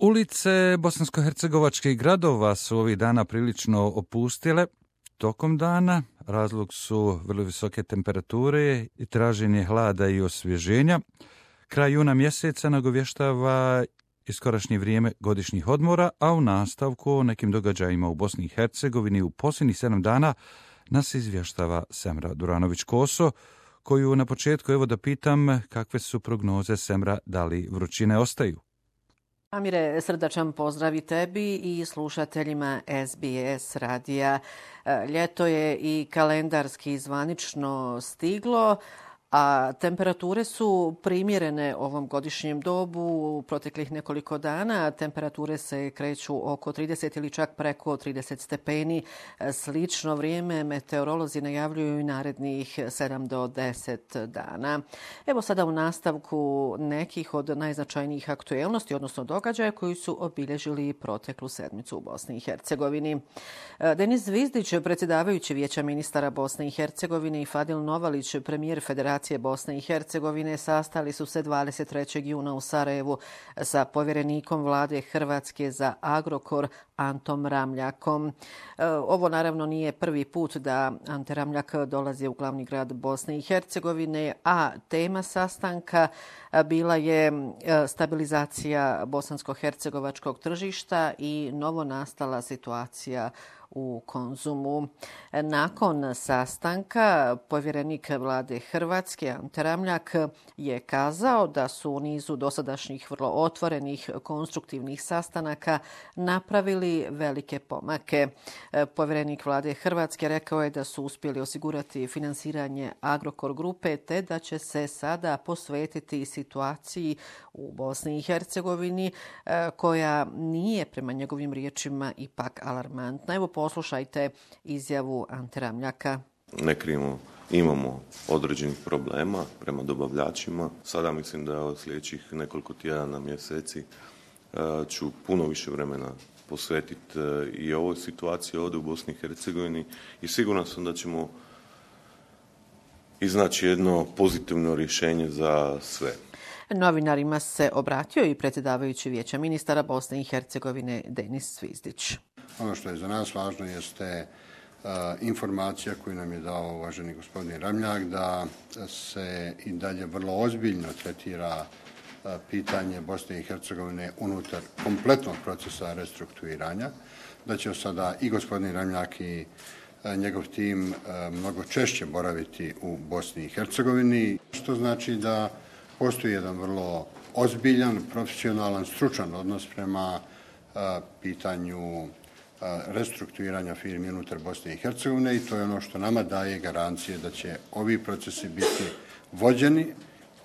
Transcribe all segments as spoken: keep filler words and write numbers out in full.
Ulice bosansko-hercegovačkih gradova su ovih dana prilično opustile. Tokom dana razlog su vrlo visoke temperature i traženje hlada i osvježenja. Kraj juna mjeseca nagovještava iskorašnje vrijeme godišnjih odmora, a u nastavku o nekim događajima u Bosni i Hercegovini u posljednjih sedam dana nas izvještava Semra Duranović-Koso, koju na početku evo da pitam kakve su prognoze, Semra, da li vrućine ostaju? Amire, srdačan pozdrav i tebi i slušateljima S B S radija. Ljeto je i kalendarski zvanično stiglo, a temperature su primjerene ovom godišnjem dobu. U proteklih nekoliko dana temperature se kreću oko trideset ili čak preko trideset stepeni. Slično vrijeme meteorolozi najavljuju i narednih sedam do deset dana. Evo sada u nastavku nekih od najznačajnijih aktuelnosti, odnosno događaja koji su obilježili proteklu sedmicu u Bosni i Hercegovini. Denis Zvizdić, predsjedavajući Vijeća ministara Bosne i Hercegovine, i Fadil Novalić, premijer Federacije Bosne i Hercegovine, sastali su se dvadeset trećeg juna u Sarajevu sa povjerenikom vlade Hrvatske za Agrokor Antom Ramljakom. Ovo naravno nije prvi put da Ante Ramljak dolazi u glavni grad Bosne i Hercegovine, a tema sastanka bila je stabilizacija bosansko-hercegovačkog tržišta i novonastala situacija u Konzumu. Nakon sastanka povjerenik vlade Hrvatske Ante Ramljak je kazao da su u nizu dosadašnjih vrlo otvorenih konstruktivnih sastanaka napravili velike pomake. Povjerenik vlade Hrvatske rekao je da su uspjeli osigurati finansiranje Agrokor grupe te da će se sada posvetiti situaciji u Bosni i Hercegovini koja nije prema njegovim riječima ipak alarmantna. Evo poslušajte izjavu Ante Ramljaka. Ne krijemo, imamo određenih problema prema dobavljačima. Sada mislim da od sljedećih nekoliko tjedana, mjeseci ću puno više vremena posvetiti i ovoj situaciji ovdje u Bosni i Hercegovini i siguran sam da ćemo iznaći jedno pozitivno rješenje za sve. Novinarima se obratio i predsjedavajući Vijeća ministara Bosne i Hercegovine Denis Zvizdić. Ono što je za nas važno jeste uh, informacija koju nam je dao uvaženi gospodin Ramljak da se i dalje vrlo ozbiljno tretira uh, pitanje Bosne i Hercegovine unutar kompletnog procesa restrukturiranja, da će sada i gospodin Ramljak i uh, njegov tim uh, mnogo češće boraviti u Bosni i Hercegovini, što znači da postoji jedan vrlo ozbiljan, profesionalan, stručan odnos prema uh, pitanju restrukturiranja firmi unutar Bosne i Hercegovine i to je ono što nama daje garancije da će ovi procesi biti vođeni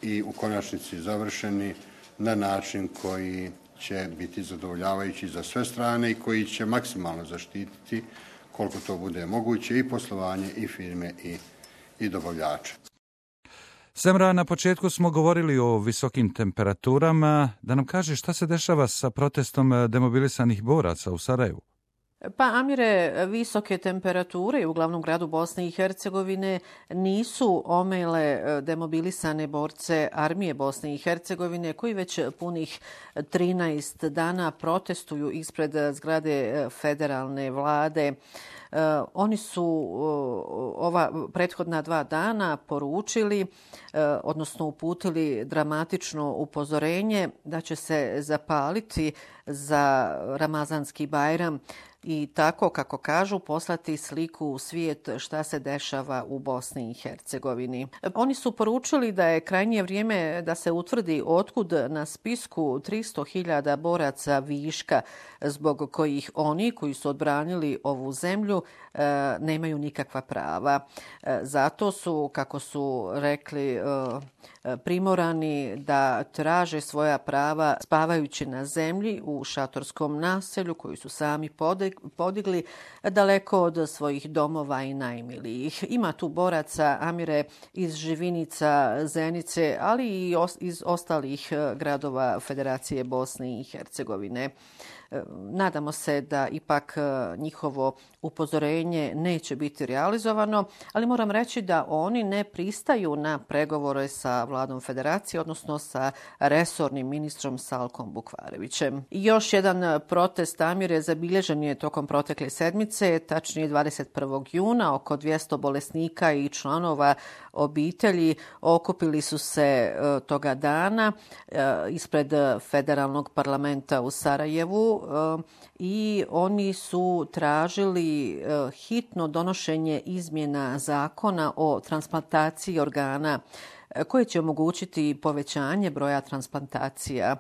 i u konačnici završeni na način koji će biti zadovoljavajući za sve strane i koji će maksimalno zaštititi koliko to bude moguće i poslovanje i firme i, i dobavljače. Semra, na početku smo govorili o visokim temperaturama. Da nam kaže šta se dešava sa protestom demobilisanih boraca u Sarajevu? Pa, Amire, visoke temperature u glavnom gradu Bosne i Hercegovine nisu omele demobilisane borce armije Bosne i Hercegovine koji već punih trinaest dana protestuju ispred zgrade federalne vlade. Uh, oni su uh, ova prethodna dva dana poručili, uh, odnosno uputili dramatično upozorenje da će se zapaliti za Ramazanski Bajram i tako, kako kažu, poslati sliku u svijet šta se dešava u Bosni i Hercegovini. Oni su poručili da je krajnje vrijeme da se utvrdi otkud na spisku tristo hiljada boraca viška zbog kojih oni koji su odbranili ovu zemlju nemaju nikakva prava. Zato su, kako su rekli, primorani da traže svoja prava spavajući na zemlji u šatorskom naselju koju su sami podigli daleko od svojih domova i najmilijih. Ima tu boraca, Amire, iz Živinica, Zenice, ali i iz ostalih gradova Federacije Bosne i Hercegovine. Nadamo se da ipak njihovo upozorenje neće biti realizovano, ali moram reći da oni ne pristaju na pregovore sa vladom Federacije, odnosno sa resornim ministrom Salkom Bukvarevićem. I još jedan protest, Amire, zabilježen je tokom protekle sedmice, tačnije dvadeset prvog juna. Oko dvjesto bolesnika i članova obitelji okupili su se toga dana ispred Federalnog parlamenta u Sarajevu i oni su tražili hitno donošenje izmjena zakona o transplantaciji organa koje će omogućiti povećanje broja transplantacija.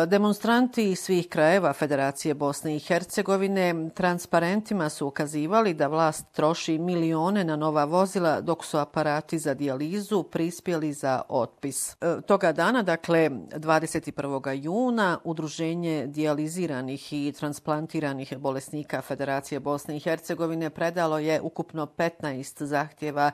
Demonstranti iz svih krajeva Federacije Bosne i Hercegovine transparentima su ukazivali da vlast troši milione na nova vozila dok su aparati za dijalizu prispjeli za otpis. Toga dana, dakle dvadeset prvog juna, Udruženje dijaliziranih i transplantiranih bolesnika Federacije Bosne i Hercegovine predalo je ukupno petnaest zahtjeva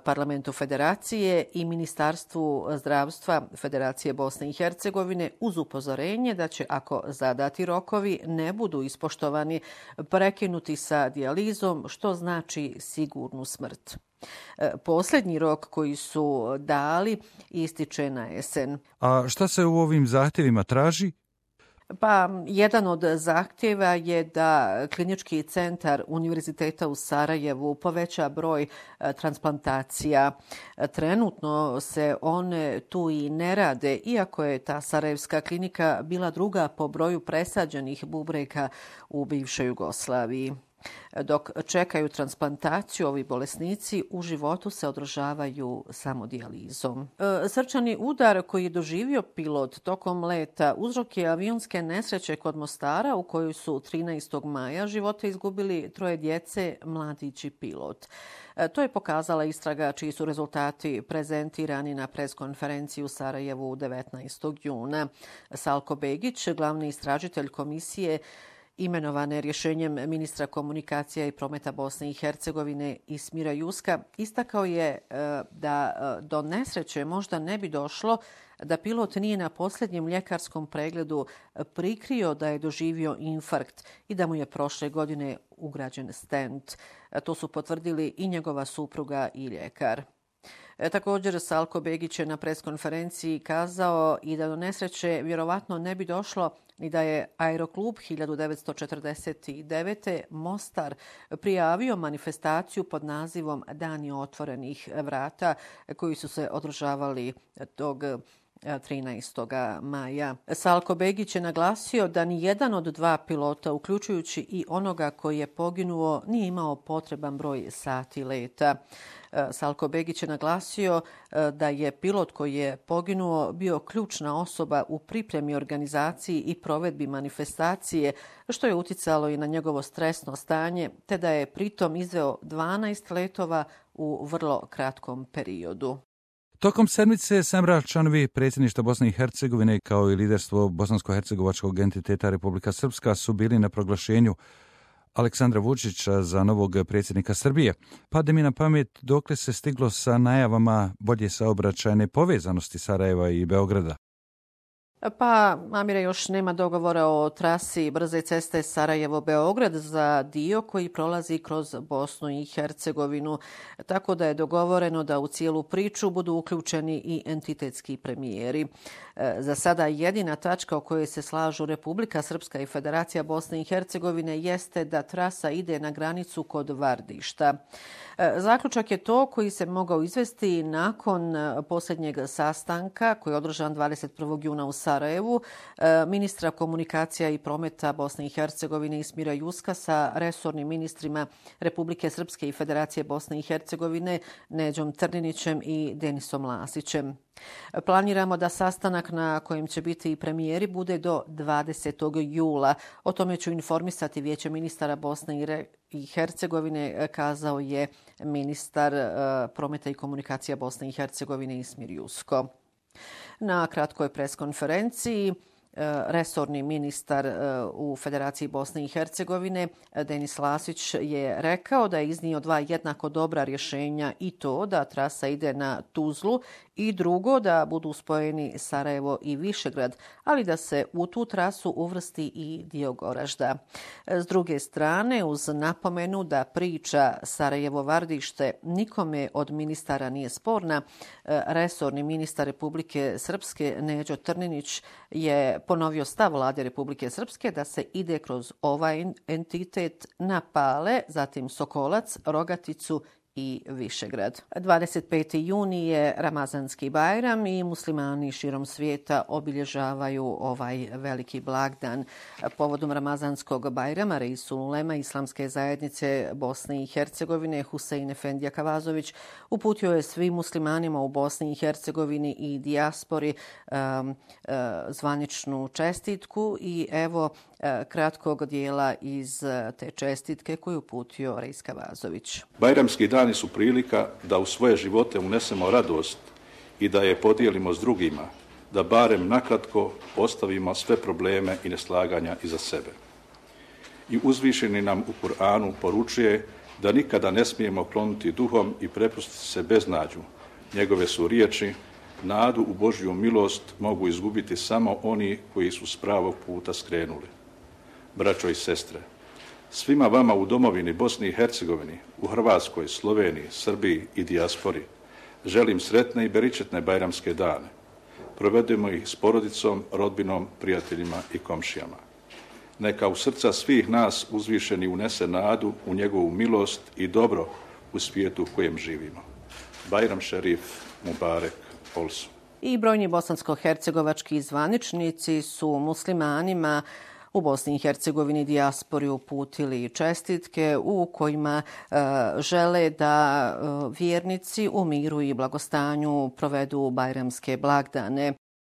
Parlamentu Federacije i Ministarstvu zdravstva Federacije Bosne i Hercegovine uz upozorenje da će, ako zadati rokovi ne budu ispoštovani, prekinuti sa dijalizom, što znači sigurnu smrt. Posljednji rok koji su dali ističe na jesen. A šta se u ovim zahtjevima traži? Pa, jedan od zahtjeva je da Klinički centar Univerziteta u Sarajevu poveća broj transplantacija. Trenutno se one tu i ne rade, iako je ta sarajevska klinika bila druga po broju presađenih bubrega u bivšoj Jugoslaviji. Dok čekaju transplantaciju, ovi bolesnici u životu se održavaju samo dijalizom. Srčani udar koji je doživio pilot tokom leta uzrok je avionske nesreće kod Mostara u kojoj su trinaestog maja živote izgubili troje djece, mladić i pilot. To je pokazala istraga čiji su rezultati prezentirani na preskonferenciji u Sarajevu devetnaestog juna. Salko Begić, glavni istražitelj komisije imenovane rješenjem ministra komunikacija i prometa Bosne i Hercegovine Ismira Juska, istakao je da do nesreće možda ne bi došlo da pilot nije na posljednjem ljekarskom pregledu prikrio da je doživio infarkt i da mu je prošle godine ugrađen stent. To su potvrdili i njegova supruga i ljekar. Također, Salko Begić je na preskonferenciji kazao i da do nesreće vjerovatno ne bi došlo ni da je Aeroklub hiljadu devetsto četrdeset devete. Mostar prijavio manifestaciju pod nazivom Dani otvorenih vrata koji su se održavali tog trinaestog maja. Salko Begić je naglasio da ni jedan od dva pilota, uključujući i onoga koji je poginuo, nije imao potreban broj sati leta. Salko Begić je naglasio da je pilot koji je poginuo bio ključna osoba u pripremi, organizaciji i provedbi manifestacije, što je uticalo i na njegovo stresno stanje, te da je pritom izveo dvanaest letova u vrlo kratkom periodu. Tokom sedmice Semra, članovi predsjedništva Bosne i Hercegovine kao i liderstvo bosansko-hercegovačkog entiteta Republika Srpska su bili na proglašenju Aleksandra Vučića za novog predsjednika Srbije. Pade mi na pamet dokle se stiglo sa najavama bolje saobraćajne povezanosti Sarajeva i Beograda. Pa, Amire, još nema dogovora o trasi brze ceste Sarajevo-Beograd za dio koji prolazi kroz Bosnu i Hercegovinu, tako da je dogovoreno da u cijelu priču budu uključeni i entitetski premijeri. Za sada jedina tačka o kojoj se slažu Republika Srpska i Federacija Bosne i Hercegovine jeste da trasa ide na granicu kod Vardišta. Zaključak je to koji se mogao izvesti nakon posljednjeg sastanka koji je održan dvadeset prvog juna u Sarajevu, ministra komunikacija i prometa Bosne i Hercegovine Ismira Juska sa resornim ministrima Republike Srpske i Federacije Bosne i Hercegovine Neđom Trninićem i Denisom Lasićem. Planiramo da sastanak na kojem će biti i premijeri bude do dvadesetog jula. O tome ću informisati Vijeće ministara Bosne i Hercegovine, kazao je ministar prometa i komunikacija Bosne i Hercegovine Ismir Jusko. Na kratkoj preskonferenciji resorni ministar u Federaciji Bosne i Hercegovine, Denis Lasić, je rekao da je iznio dva jednako dobra rješenja, i to da trasa ide na Tuzlu i drugo da budu spojeni Sarajevo i Višegrad, ali da se u tu trasu uvrsti i dio Goražda. S druge strane, uz napomenu da priča Sarajevo-Vardište nikome od ministara nije sporna, resorni ministar Republike Srpske Neđo Trninić je ponovio stav vlade Republike Srpske da se ide kroz ovaj entitet na Pale, zatim Sokolac, Rogaticu i Višegrad. dvadeset peti juni je Ramazanski Bajram i muslimani širom svijeta obilježavaju ovaj veliki blagdan. Povodom Ramazanskog Bajrama Reisul Ulema Islamske zajednice Bosne i Hercegovine Husein Efendija Kavazović uputio je svim muslimanima u Bosni i Hercegovini i dijaspori um, uh, zvaničnu čestitku i evo uh, kratkog dijela iz uh, te čestitke koju uputio Reis Kavazović. Bajramski dani su prilika da u svoje živote unesemo radost i da je podijelimo s drugima, da barem nakratko ostavimo sve probleme i neslaganja iza sebe. I uzvišeni nam u Kur'anu poručuje da nikada ne smijemo klonuti duhom i prepustiti se beznađu. Njegove su riječi: nadu u Božju milost mogu izgubiti samo oni koji su s pravog puta skrenuli. Braćo i sestre, svima vama u domovini Bosni i Hercegovini, u Hrvatskoj, Sloveniji, Srbiji i dijaspori želim sretne i beričetne bajramske dane. Provedemo ih s porodicom, rodbinom, prijateljima i komšijama. Neka u srca svih nas uzvišeni unese nadu u njegovu milost i dobro u svijetu u kojem živimo. Bajram šerif, Mubarek, Olsu. I brojni bosansko-hercegovački zvaničnici su muslimanima u Bosni i Hercegovini dijaspori uputili čestitke u kojima e, žele da e, vjernici u miru i blagostanju provedu bajramske blagdane.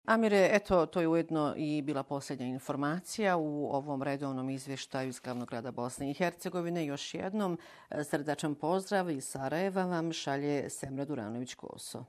Amire, eto, to je ujedno i bila posljednja informacija u ovom redovnom izvještaju iz glavnog grada Bosne i Hercegovine. Još jednom srdačan pozdrav iz Sarajeva vam šalje Semra Duranović-Koso.